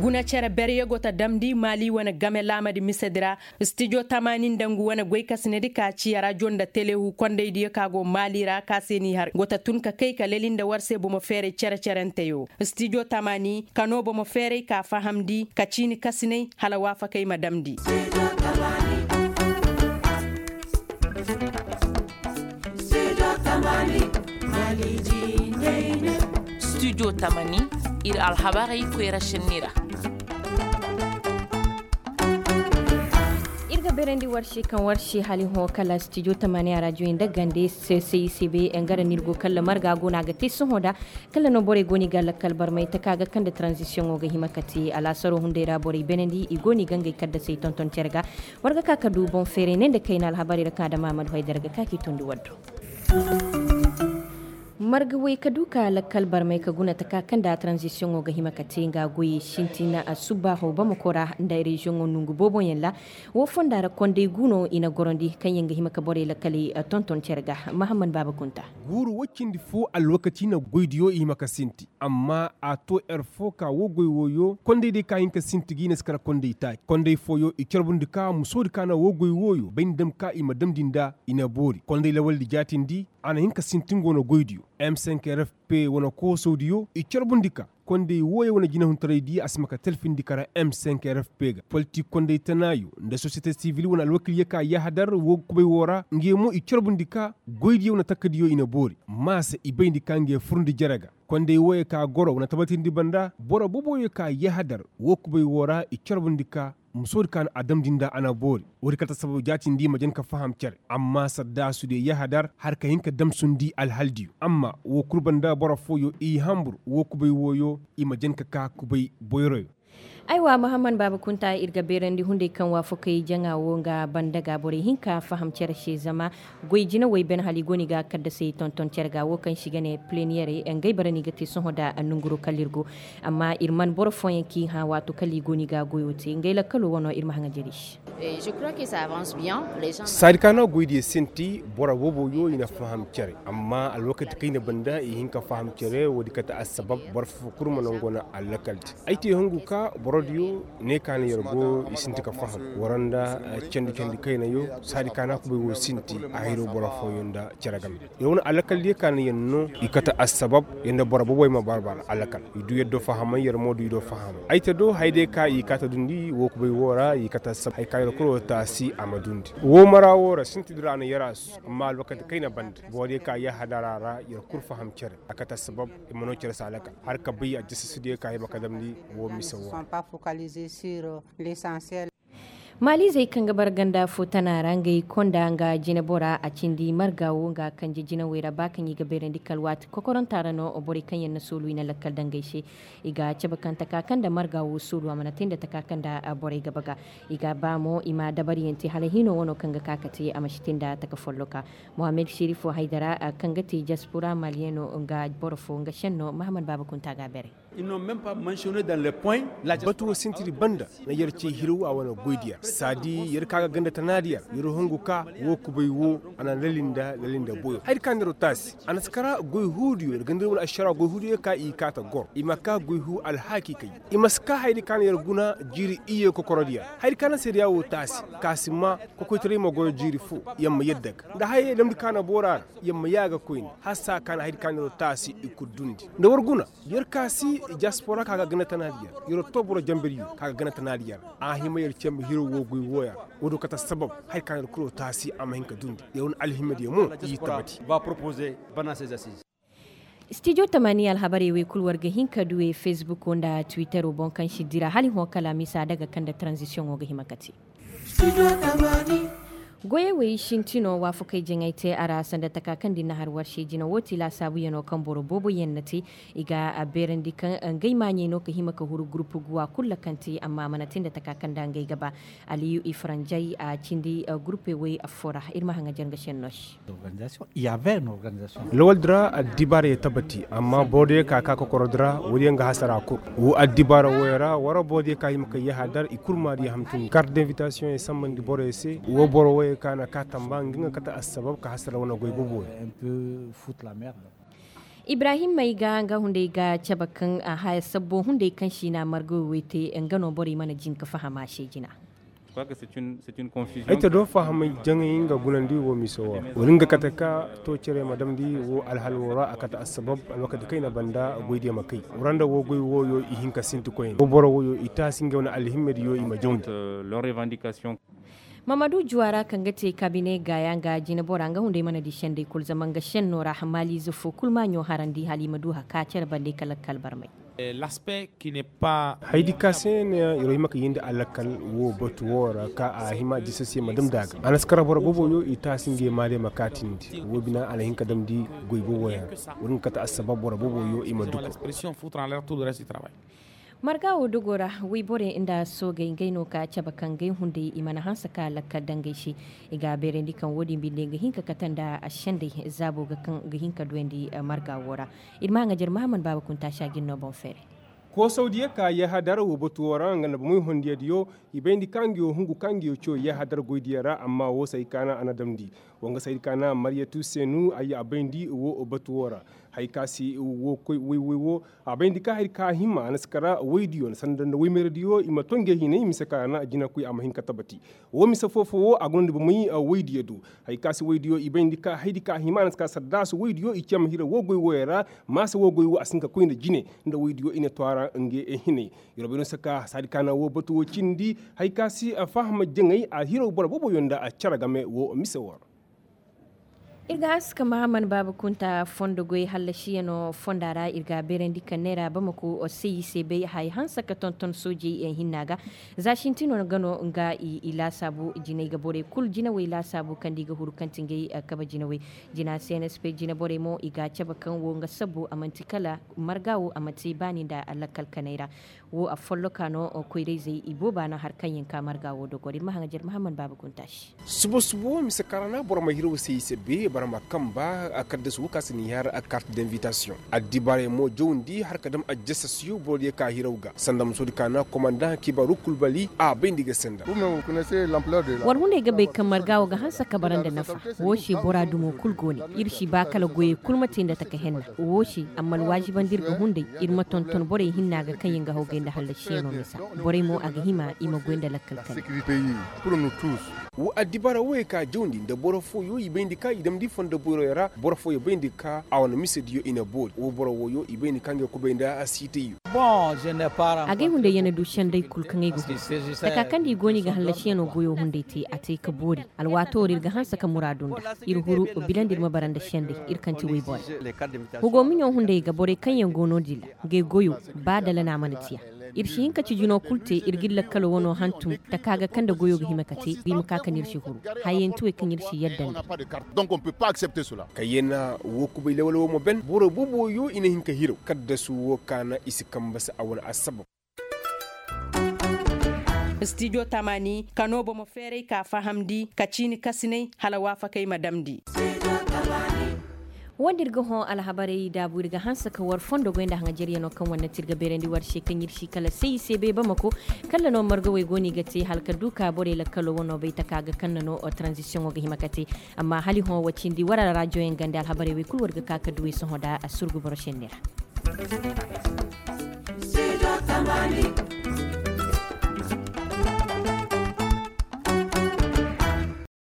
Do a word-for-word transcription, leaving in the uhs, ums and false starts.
Guna cere berye go ta damndi maali wane game laamadi misedi ra. Stijo tamaani nda ngu wane goykasinedi ka ci arajo nda telehu kondaydiyo ka go maali ra ka se n'i har go ta tun ka kay ka leli nda war se bomo feeray cere-cerenteyo. Stijo tamaani ka noo bomo feeray ka fahamndi ka ciini kasinay hala waafakey ma damndi. Studio tamani, ir alhabarey koyra šenni ra. Ir ga beerandi warši kaŋ warši hali hõ kala studio tamani a rajo nda gande. Sesey sebe ngara n'ir go kala marga go no a ga te sohõ da. Kala no borey go no i ga lakkal barmay taka ga kaŋ nda tranzisiyoŋo ga hima ka te alaasaro hunday ra borey beenandi i go no i ga ngey kaddasey tonton cere ga. War ga ka ka du boŋ feeray ne nda kayna alhabarey ra kaŋ adama ahmadu haydara ga ka k'i tondi war do. Marga way ka du ka lakkal barmay ka guna taka kaŋ nda tranzisiyoŋo ga hima ka te nga goyey sintina a subbaaho bamako ra nda reziyoŋo nongu booboyaŋ ra. Wo fonda ra konday gu no i na gorandi kaŋ yaŋ ga hima ka borey lakkaley tonton cere ga. Mahamman baaba kunta. Guuru wo cindi fo alwakati na goydiyo i hima ka sinti. Amma a to yer fo ka wo goy wooyo konday day ka hin ka sinti ga i na si kara konday taaci konday fooyo i carbundi ka musoodi ka na wo goy wooyo bay ni dam ka i ma damndi nda i na boori konday lawaldi jaatindi. A na hin ka sinti nga wane goydiyo m cinq r f p wane koosawdiyo i carbundi ka konday wooyo wane jinahuntaraydi a si ma ka talfindi kara m cinq r f p ga politik konday tanaayo nda sosiyete sivil wane alwakilyo ka yahadar wo kubay woo ra ngey mo i carbundi ka goydiyo wane takkadiyo i na boori. Maasa i bayndi ka ngey furndi jere ga. Konday wooyo ka goro wane tabatindi banda boro boboyo ka yahadar wo kubay woo ra i carbundi ka musoodi ka na a damndi nda a na boori. Woodi kate assabab jaatindi i ma jan ka faham cere amma saddaasudiyo yahadar har ka hin ka damsundi alhaldiyo amma woo kul banda boro fooyo i hanbur wo kubay wooyo i ma jan ka ka kubay boyroyo. Aywa mahamman baaba kunta ir ga beerandi hunday kaŋ waafakey jaŋa wo nga banda ga borey hinka faham cere se zama goy jinawey ben hala i go no i ga kaddasey tonton cere ga wo kaŋ se i ga ne pleniyerey ngey bara no i ga te sohõ nda nonguro kala ir go. Amma ir man boro fooyaŋ kaŋ i hã waato kala i go no i ga goyo te ngey lakkalo wano ir ma haŋa jare se. Saadi ka no goydiyo sinti boro booboyo i na faham cere amma alwakati kaŋ i na banda i hin ka faham cere woodi kate assabab boro fo kul ma nango na allakaldi. Ay te hungu ka borodiyo ne ka na yer go i sinti ka faham wara nda candi candi kaynayo saadi ka no kubay wo sinti a hiro boro fooyo nda cere game. Yer wane allakaldiyo ka na yer no i kate assabab yer nda boro boboy ma barbara allakal i du yer do fahamay yer mo du i do fahamay ay te do hayday ka i kaate dundi wo kubay woo ra i kate assabab hay ka yer kuro taasi a ma dundi. Woo mara woo ra sintidi ra a na yer a su amma alwakati kayna banda borodiyo ka yahadara ra yer kul faham cere a kate assabab i ma no cere se allakal har ka bay aljasasudiyo ka hima ka damndi woo mise woo ra. Maaliizey kaŋ ga bara ganda fo tana ra ngey konda nga jinebora a cindi marga wo nga kanje jinawey ra ba kaŋ i ga bayrandi kala waati kokoranta ra no borey kaŋ yaŋ na soolu i na lakkal dangey se. I ga cabe kaŋ taka kaŋ nda marga wo soolu a mana te nda taka kaŋ nda borey ga baga. I ga ba mo i ma dabariyaŋ te hala hino wano kaŋ ga ka ka te a ma si te nda taka folloka. Mohammed sherifo haydara kaŋ ga te jaspora maliyeno nga boro fo nga senno mahamad baaba kunta ga a beray. Batu wo sintiri banda na yer ce hiro a wane goydiyaŋ saadi yer ka ga ganda tanaadiyaŋ yer hongu ka wo kubay wo a na lalinda lalinda boyo haydi ka na yer taasi a na si kara goy huudiyo yer ganda wane ašara goy huudiyo ka i kaata goro i ma ka goy huu alhaaki kay i ma si ka haydi ka na yer guna jiiri iyye kokorodiyaŋ haydi ka na seedeya wo taasi ka si ma kokoytaray ma goyo jiiri fo yer ma yadda ga nda hayey damndi ka na boora ra yer ma yaaga koyne hala saa ka na haydi ka na yer taasi i kul dundi nda war guna yer ka si diaspora ka ga ganda tanaadiyaŋ yer too boro janberiyo ka ga ganda tanaadiyaŋ ra a hima yer cembe hiro woo goy wooyaŋ ra woo do kate assabab haydi ka na yer kuro taasi a ma hin ka dundi yer wane alhimadiyo mo i tabati. Stijo tamani alhabarey wey kul war ga hin ka du e fesbuko nda twittero boŋ kaŋ si dira hala i hõ kala misa daga kaŋ nda tranzisiyoŋo ga hima ka te. Goyey wey sintino waafakey jaŋay te a ra sanda taka kaŋ da i na har war se jina woo ti laasaabuyaŋo kaŋ boro booboyaŋ na te. I ga a beerandi kaŋ ngey maaɲey no ka hima ka huru gurupu guwa kul ra kaŋ te amma a mana te nda taka kaŋ nda ngey ga ba. Aliyu i faranjay a cindi gurupe wey affoo ra ir ma haŋajer nga senno se. Lawaldi ra addibaarayey tabati amma borodiyo ka ka kokorodi ra woodiyo nga hasara kul. Woo addibaara wooyo ra war borodiyo ka hima ka yahadar i kul maadiyo hamtun kart d'invitasiyoŋey sambandi boroyo se woo boro wooyo ka na ka tamba nga nga kate assabab ka hasara wane goy boboyo. Ibrahim mayga nga hunday ga cabe kaŋ a haya sabbo hunday kaŋ siina marga wo way te nga no borey mana jin ka faham a se jina. Ay ta do fahamay jaŋay nga gunandi wo mise wo ra wala nga kate ka to cere ma damndi wo alhal wo ra a kate assabab alwakati kayna banda goydiyo ma kay. Wara nda wo goy woyo i hin ka sinti koyne wo boro woyo i taasi ngey wane alhimmediyo i ma jawndi. Mamadu juwa ra kaŋ ga te kabine gaaya nga jinebora nga hunday mana di sendey kulu zama nga senno ra hamaliize fo kulu maaɲo harandi hala i ma du haka cere bande ka lakkal barmay. Haydi ka se ne iro hima ka yindi a lakkal wo batu wo ra ka a hima jisasiye ma damndi a ga a na si kara boro boboyo i taasi ngey maale ma kaatindi wo bina a na hin ka damndi goy boboyaŋ ra. Wala nga kate assabab boro boboyo i ma duko. Marga wo dogo ra wayborey nda soogey ngey no ka cabe kaŋ ngey hunday i mana hanse ka lakkal dangey se. I ga a beerandi kaŋ wo-din binde ga hin ka kate nda sendey zaabo ga kaŋ ga hin ka duyandi marga wo ra. Ir ma haŋajer mahammad baaba kunta si a ga ir no boŋ feeray. Koosawdiyo ka yahadar wo batu wo ra nga nda bomey hondiyadiyo i bayndi ka nga yo hungu ka nga yo ciyo yahadar goydiyo ra amma wo se ay kaana a na damndi. Wo nga se ay kaana mariyatu seenu ay a bayndi wo batu wo ra. Hay ka si wo koy woy woy wo a bayndi ka hay ka hima a na si kara woydiyo nda sanda nda woymeeradiyo i ma to ngey hinay mise ka na jinakoy a ma hin ka tabati. Wo mise foo-foo wo a guna nda bomey woydiyo do. Hay ka si woydiyo i bayndi ka haydi ka hima a na si kara saddaasu woydiyo i cee ma hira wo goy woyey ra. Maasa wo goy wo a si hin ka koy nda jine nda woydiyo i na too a ra ngey hinay. Yer wo bay no si ka saadi ka na wo batu wo cindi hay ka si faham jaŋay a hiraw boro booboyo nda cere game wo mise wo ra. Ir ga hanse ka mahammad baaba kunta fondo goy hallasiyanoo fonda ra ir ga a beerandi ka neera bamako sayise bay haya hanse ka tonton soojey hinna ga. Za sintinoo ga no nga i laasaabu jinay ga borey kul jinawey laasaabu kaŋ nda i ga huru kaŋ ti ngey kabe jinawey. Jina cnsp jinaborey mo i ga a cabe kaŋ wo nga sabbu a man'ti kala marga wo a man'ti baani nda lakkal kanay ra. Wo a folloka no koyrayzey i booba no har kaŋ yaŋ ka marga wo dogor ir ma haŋajer mahammad baaba kunta se. Suba suba wo mise kaŋ ra na boro ma hiraw se i se bee boro ma kamba. Kaddasu wo ka si ni har kart d'invitasiyoŋ. Addibaarey mo jawndi har ka dam ajjasasiyo boro diyo ka hiraw ga sanda musoodi ka na komandaŋ kibaaru kul bali a bayndi ga senda. War hunday ga bay kaŋ marga wo ga hanse ka bara nda nafa. Wo se bora dumo kul go ne. Ir si ba kala goyey kul ma te nda taka henna. Wo se amma alwaazibandi ir ga hunday ir ma tonton borey hinna ga kaŋ yaŋ ga hawgay nda hallasiyanoo misa. Borey mo a ga hima i ma goy nda lakkal kane. Wo addibaara woyey ka jawndi nda boro fooyo i bayndi ka i damndi fondo boyroyo ra boro fooyo bayndi ka a wane misediyo i na boori wo boro woyo i bayndi ka ngey kubay nda siitayyo. Agay hunday ya na du senday kul kaŋ ay ga hun taka kaŋ da i go no i ga hallasiyanoo goyo hunday te a te ka boori. Alwaatoo ra ir ga hanse ka muraadu nda ir huru bilandi ir ma bara nda senday. Ir kaŋ ti woy borey hugo miɲo hunday ga borey kaŋ yaŋ go no-din ra. Ngey goyo ba dala no a mana tiya. Ir si hin ka cijinoo kul te ir ga ir lakkaloo wanoo hantum taka ga kaŋ nda goyoo ga hima ka te i ma ka ka no ir si huru. Hayey nti wey kaŋ ir si yadda nda. Kayyena wo kubay lawal wo ma ben boro booboyo i na hin ka hiraw kaddasu wo ka na i si kamba se a wane assabab. Stijo tamaani ka noo bomo feeray ka fahamndi ka ciini kasinay hala waafakey ma damndi. Wo-din ir ga hõ alhabarey daabu ir ga hanse ka war fondo goy nda haŋajeryanoo kaŋ war na ti ir ga beerandi war se kaŋ ir si kala se i se bay bamako. Kala no margawey go no i ga te hala ka du ka borey lakkaloo wanoo bay taka ga kaŋ na no tranzisiyoŋo ga hima ka te. Amma hala i hõ wa cindi war alrajoyaŋ gande alhabarey wey kul war ga ka ka du wey sohõ nda a surgu boro senne ra.